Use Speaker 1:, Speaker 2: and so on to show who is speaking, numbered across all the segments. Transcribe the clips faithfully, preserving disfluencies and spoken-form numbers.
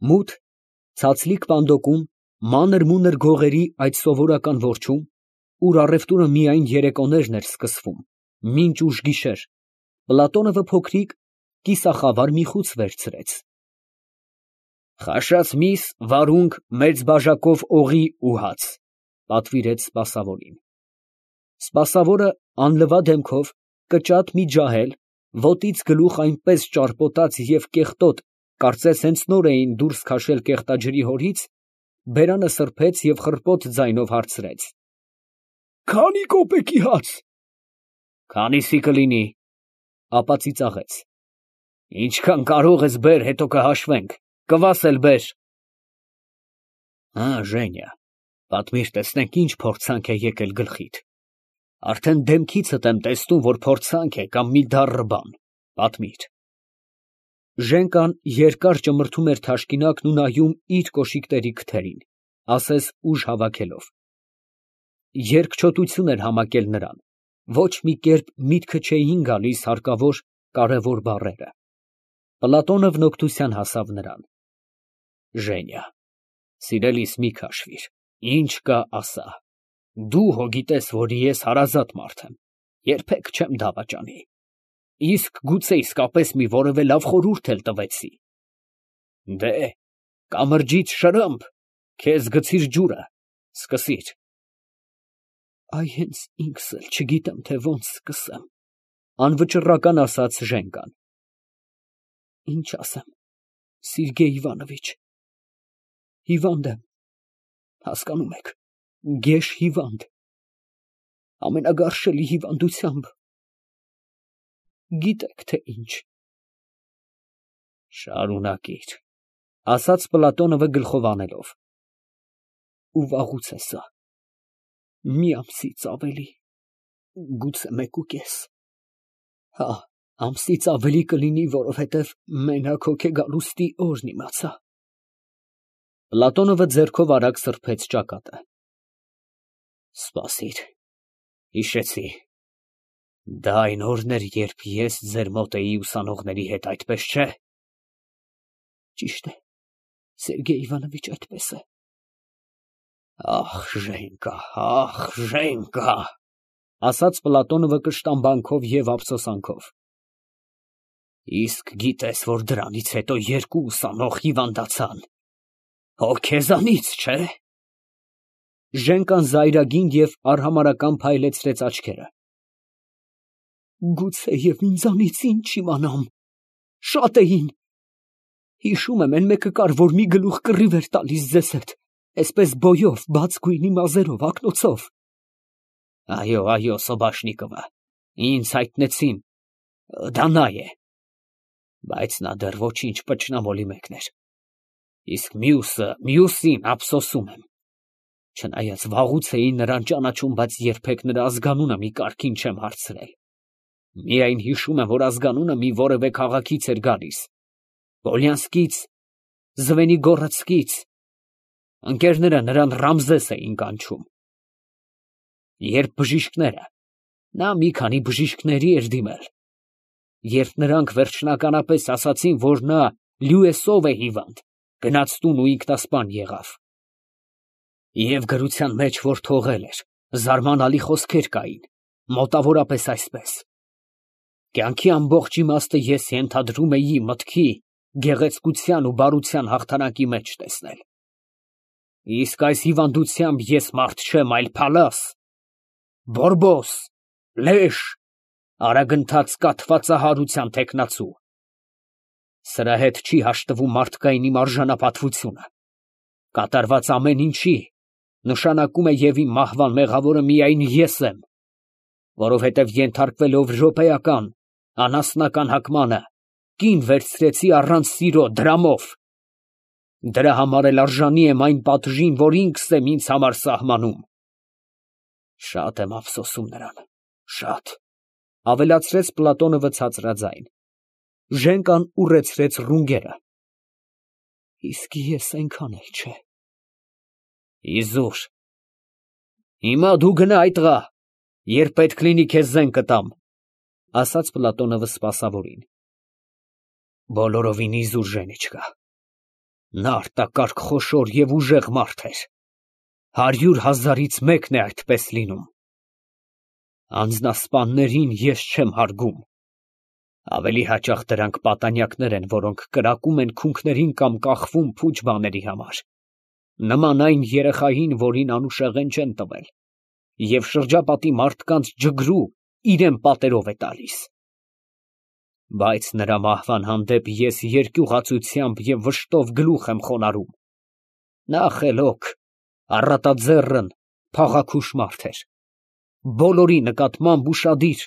Speaker 1: Մութ, ցածլիկ պանդոկում, մանր֊մունր գողերի այդ սովորական որջում, ուր առևտուրը միայն երեկոներն էր սկսվում, մինչ ուշ գիշեր, Պլատոնովը փոքրիկ, կիսախավար մի խուց վերցրեց։ «Խաշած միս, վարունգ, մեծ բաժակով օղի ու հաց», ֊ պատվիրեց սպասավորին։ Սպասավորը անլվա դեմքով, կճատ մի ջահել, ոտից գլուխ այնպես ճարպոտած և կեղտոտ, կարծես հենց նոր էին դուրս քաշել կեղտաջրի հորից, բերանը սրբեց և խռպոտ ձայնով հարցրեց. «Քանի՞ կոպեկի հաց»։ «Քանիսի կլինի», ֊ ապա ծիծաղեց։ «Ինչքան կարող ես բեր, հետո կհաշվենք, կվաս էլ բեր»։ Հա, Ժենիա, պատմիր, տեսնենք ինչ փորձանք է եկել գլխիդ, արդեն դեմքիցդ եմ տեսնում, որ փորձանք է կամ մի դառն բան, պատմիր։ Ժենկան երկար ճմրթում էր թաշկինակն ու նայում իր կոշիկների քթերին, ասես ուժ հավաքելով։ Երկչոտություն էր համակել նրան, ոչ մի կերպ միտքը չէին գալիս հարկավոր, կարևոր բառերը։ Պլատոնովն օգնության հասավ նրան. Ժենիա, սիրելիս, մի քաշվիր, ինչ կա ասա, դու հո գիտես, որ ես հարազատ մարդ եմ, երբեք չեմ դավաճանի, իսկ գուցե իսկապես մի որևէ լավ խորհուրդ էլ տվեցի։ Դե, կամրջից շրըմփ, քեզ գցիր ջուրը, սկսիր։ Այ հենց ինքս էլ չգիտեմ, թե ոնց սկսեմ, անվճռական ասաց Ժենկան։ Ինչ ասեմ, Սերգեյ Իվանովիչ, հիվանդ եմ, հասկանում եք, գեշ հիվանդ, ամենագարշելի հիվանդությամբ, գիտեք, թե ինչ։ Շարունակիր, ասաց Պլատոնովը գլխով անելով։ Ու վաղուց է սա, մի ամսից ավելի, գուցե մեկ ու կես, հա, ամսից ավելի կլինի, որովհետև մենակ հոգեգալուստի օրն իմացա։ Պլատոնովը ձեռքով արագ սրբեց ճակատը։ Սպասիր, հիշեցի, դա այն օրն էր, երբ ես ձեր մոտ էի ուսանողների հետ, այդպես չէ։ Ճիշտ է, Սերգեյ Իվանովիչ, այդպես է։ Ախ, Ժենկա, ախ, Ժենկա, ասաց Պլատոնովը կշտամբանքով և ափսոսանքով։ Իսկ գիտես, որ դրանից հետո երկու ուսանող հիվանդացան, հո քեզանից, չէ։ Ժենկան զայրագին և արհամարհական փայլեցրեց աչքերը։ Գուցե և ինձանից ինչ իմանամ, շատ էին։ Հիշում եմ, են մեկը կար, որ մի գլուխ կռիվ էր տալիս ձեզ հետ, այսպես բոյով, բաց գույնի մազերով, ակնոցով։ Այո, այո, Սոբաշնիկովը, ինձ հայտնեցին, դա նա է։ Բայց նա դեռ ոչինչ, պճնամոլի մեկն էր։ Իսկ մյուսը, մյուսին ափսոսում եմ։ Չնայած վաղուց էի նրան ճանաչում, բայց երբեք նրա ազգանունը մի կարգին չեմ հարցրել։ Միայն հիշում եմ, որ ազգանունը մի որևէ քաղաքից էր գալիս, Պոլյանսկից, Զվենիգորոդսկից, ընկերները նրան Ռամզես էին կանչում։ Երբ բժիշկները, նա մի քանի բժիշկների էր դիմել, երբ նրանք վերջնականապես ասացին, որ նա լյույեսով է հիվանդ, գնաց տուն ու ինքնասպան եղավ։ Եվ գրության մեջ, որ թողել էր, զարմանալի խոսքեր կային, մոտավորապես այսպես. կյանքի ամբողջ իմաստը ես ենթադրում էի մտքի, գեղեցկության ու բարության հաղթանակի մեջ տեսնել։ Իսկ այս հիվանդությամբ ես մարդ չեմ, այլ փալաս, բորբոս, լեշ, արագընթաց կաթվածահարության թեկնածու։ Սրա հետ չի հաշտվում մարդկային իմ արժանապատվությունը։ Կատարված ամեն ինչի նշանակում է և իմ մահվան մեղավորը միայն ես եմ, որովհետև ենթարկվելով րոպեական, անասնական հակմանը, կին վերցրեցի առանց սիրո, դրամով։ Դրա համար էլ արժանի եմ այն պատժին, որ ինքս եմ ինձ համար սահմանում։ Շատ եմ ափսոսում նրան, շատ, ավելացրեց Պլատոնովը ցածրաձայն։ Ժենկան ուռեցրեց ռունգերը։ Իսկ ես այնքան էլ չէ։ Իզուր, հիմա դու գնա այդ տղա, երբ պետք լինի քեզ զենք կտամ, ասաց Պլատոնովը սպասավորին։ Բոլորովին իզուր, Ժենիչկա, Նա արտակարգ խոշոր և ուժեղ մարդ էր, հարյուր հազարից մեկն է այդպես լինում։ Անձնասպաններին ես չեմ հարգում, ավելի հաճախ դրանք պատանյակներ են, որոնք կրակում են քունքներին կամ կախվում փուչ բաների համար, նման այն երեխային, որին անուշեղեն չեն տվել, և շրջապատի մարդկանց ջգրու իրան պատերով է տալիս։ Բայց նրա մահվան հանդեպ ես երկյուղածությամբ և վշտով գլուխ եմ խոնարհում։ Նա խելոք, առատաձեռն, փաղաքուշ մարդ էր, բոլորի նկատմամբ ուշադիր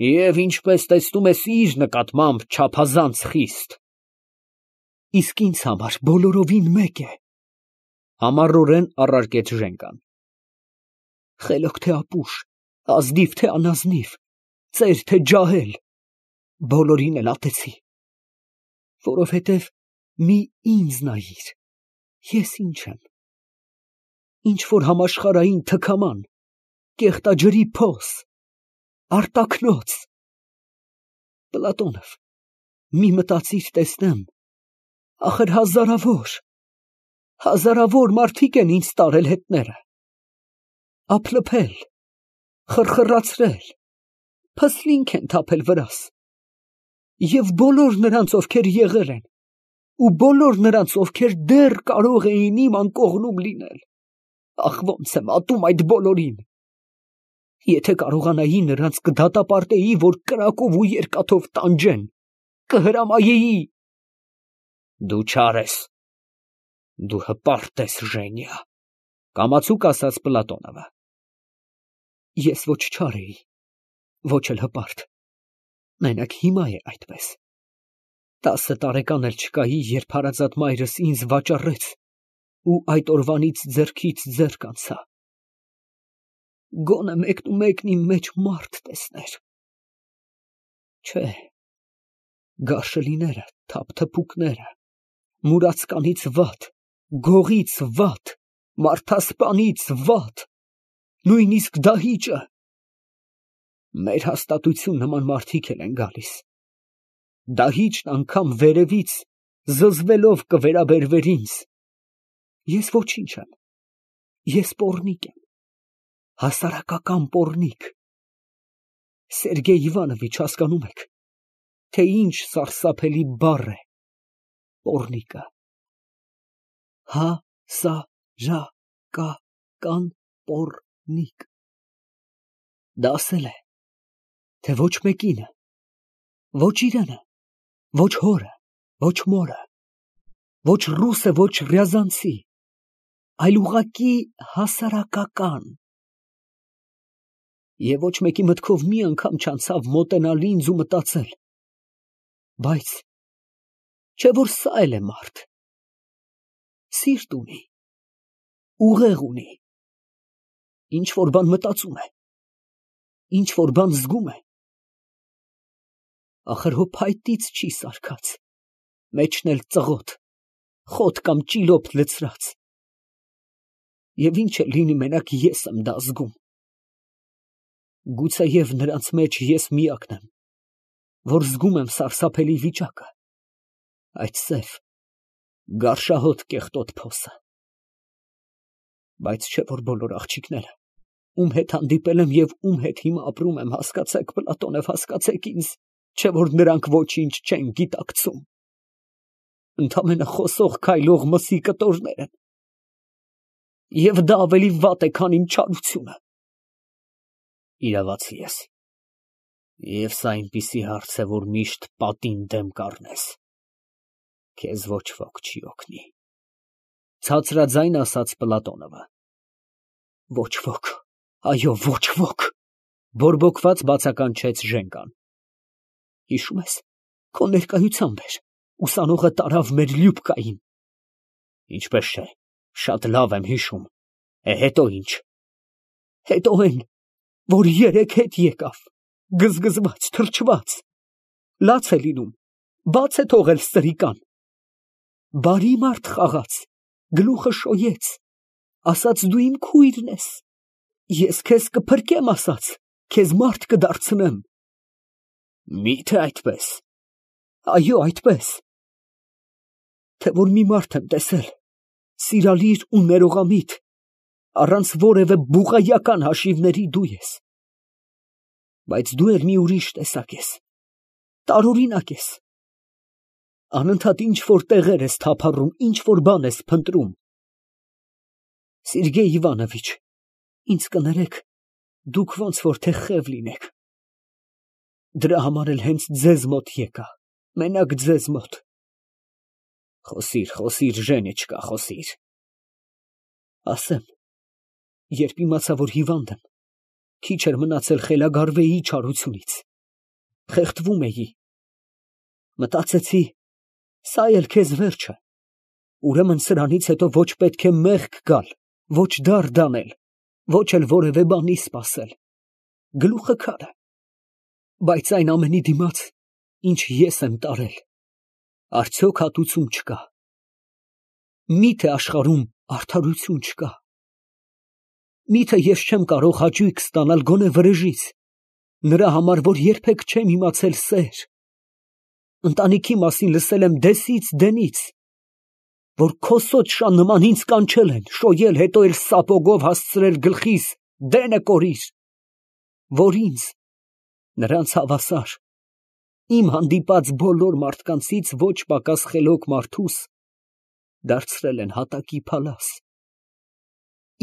Speaker 1: և, ինչպես տեսնում ես, իր նկատմամբ չափազանց խիստ։ Իսկ ինձ համար բոլորովին մեկ է, համառորեն առարկեց Ժենկան. խելոք թե ապուշ, ազնիվ թե անազնիվ, ծեր թե ջահել, բոլորին էլ ատեցի, որովհետև մի ինձ նայիր, ես ինչ եմ, ինչ-որ համաշխարհային թքաման, կեղտաջրի փոս, արտաքնոց։ Պլատոնով, մի մտածիր տեսնեմ, ախր հազարավոր, հազարավոր մարդիկ են ինձ տարել հետները, ափլփել, խռխռացրել, փսլինք են թափել վրաս, և բոլոր նրանց, ովքեր եղել են, ու բոլոր նրանց, ովքեր դեռ կարող էին իմ անկողնում լինել, ախ, ոնց եմ ատում այդ բոլորին, եթե կարողանայի նրանց կդատապարտեի, որ կրակով ու երկաթով տանջեն, կհրամայեի։ Դու չար ես, դու հպարտ ես, Ժենիա, կամացուկ ասաց Պլատոնովը։ Ես ոչ չար էի, ոչ էլ հպարտ, մենակ հիմա է այդպես։ Տասը տարեկան էլ չկայի, երբ հարազատ մայրս ինձ վաճառեց ու այդ օրվանից ձեռքից ձեռք անցա։ Գոնե մեկնումեկն իմ մեջ մարդ տեսներ։ Չէ, գարշելիները, թափթփուկները, մուրացկանից վատ, գողից վատ, մարդասպանից վատ, նույնիսկ դահիճը։ Մեր հաստատություն նման մարդիկ էլ են գալիս։ Դահիճն անգամ վերևից զզվելով կվերաբերվեր ինձ։ Ես ոչինչ եմ, ես պոռնիկ եմ, հասարակական պոռնիկ։ Սերգեյ Իվանովիչ, հասկանում եք, թե ինչ սարսափելի բառ է պոռնիկը։ Հա սա ժա կա կան պոռնիկ։ Դա ասել է, թե ոչ մեկինը, ոչ իրանը, ոչ հորը, ոչ մորը, ոչ ռուսը, ոչ ռյազանցի, այլ ուղղակի հասարակական։ Եվ ոչ մեկի մտքով մի անգամ չանցավ մոտենալ ինձ ու մտածել. բայց չէ՞ որ սա էլ է մարդ, սիրտ ունի, ուղեղ ունի, ինչ֊որ բան մտածում է, ինչ֊որ բան զգում է, ախր հո փայտից չի սարքած, մեջն էլ ծղոտ, խոտ կամ ճիլոփ լցրած, և ինչ էլ լինի, մենակ ես եմ դա զգում։ Գուցեև նրանց մեջ ես միակն եմ, որ զգում եմ սարսափելի վիճակը, այդ սև, գարշահոտ կեղտոտ փոսը։ Բայց չէ՞ որ բոլոր աղջիկները, ում հետ հանդիպել եմ և ում հետ հիմա ապրում եմ, հասկացեք, Պլատոնով, հասկացեք ինձ, չէ՞ որ նրանք ոչինչ չեն գիտակցում, ընդամենը խոսող քայլող մսի կտորներ են, և դա ավելի վատ է, քան իմ չարությունը։ Իրավացի ես, և սա այնպիսի հարց է, որ միշտ պատին դեմ կառնես, քեզ ոչ ոք չի օգնի, ցածրաձայն ասաց Պլատոնովը։ Ոչ ոք, այո, ոչ ոք, բորբոքված բացականչեց Ժենկան։ Հիշում ես, քո ներկայությամբ էր, ուսանողը տարավ մեր Լյուբկային։ Ինչպես չէ, շատ լավ եմ հիշում, է հետո ինչ։ Հետո այն, որ երեկ հետ եկավ, գզգզված, թրջված, լաց է լինում, բաց է թողել սրիկան, բարի մարդ խաղաց, գլուխը շոյեց, ասաց դու իմ քույրն ես, ես քեզ կփրկեմ ասաց, քեզ մարդ կդարձնեմ։ Մի՞թե այդպես։ Այո, այդպես։ թե որ մի մարդ եմ տեսել, սիրալիր ու ներողամիտ, առանց որևէ բուղայական հաշիվների դու ես։ Բայց դու էլ մի ուրիշ տեսակ ես, տարօրինակ ես։ Անընդհատ ինչ որ տեղեր ես թափառում, ինչ որ բան ես փնտրում։ Սերգեյ Իվանովիչ, ինձ կներեք, դուք ոնց որ թե խև լինեք։ Դրա համար էլ հենց ձեզ մոտ եկա, մենակ ձեզ մոտ։ Խոսիր, խոսիր, Ժենիչկա, խոսիր։ Ասեմ, երբ իմացա, որ հիվանդ եմ, քիչ էր մնացել խելագարվեի չարությունից, խեղդվում էի։ Մտածեցի, սա էլ քեզ վերջը, ուրեմն սրանից հետո ոչ պետք է մեղք գալ, ոչ դարդ անել, ոչ էլ որևէ բանի սպասել, գլուխը քար է։ Բայց այն ամենի դիմաց, ինչ ես եմ տարել, արդյոք հատուցում չկա։ Միթե աշխարհում արդարություն չկա։ Միթե ես չեմ կարող հաճույք ստանալ գոնե վրեժից, նրա համար, որ երբեք չեմ իմացել սեր։ Ընտանիքի մասին լսել եմ դեսից դենից, որ քոսոտ շան նման ինձ կանչել են, շոյել, հետո էլ սապոգով հասցրել գլխիս, դենը կորիր, որ ինձ, նրանց հավասար, իմ հանդիպած բոլոր մարդկանցից ոչ պակաս խելոք մարդուս, դարձրել են հատակի փալաս,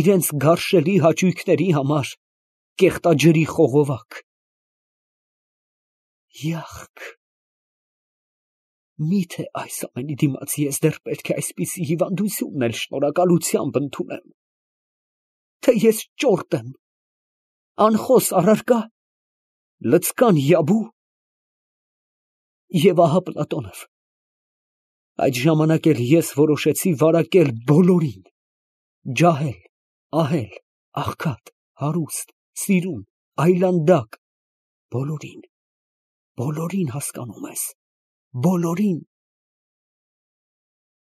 Speaker 1: իրենց գարշելի հաճույքների համար կեղտաջրի խողովակ։ Յախք, միթե այս ամենի դիմաց ես դեռ պետք է այսպիսի հիվանդությունն էլ շնորհակալությամբ ընդունեմ, թե ես ճորտ եմ, անխոս առարկա, լցկան յաբու։ Եվ ահա Պլատոնով, այդ ժամանակ էլ ես որոշեցի վարակել բոլորին, ջահել, ահել, աղքատ, հարուստ, սիրուն, այլանդակ, բոլորին, բոլորին հասկանում ես, բոլորին։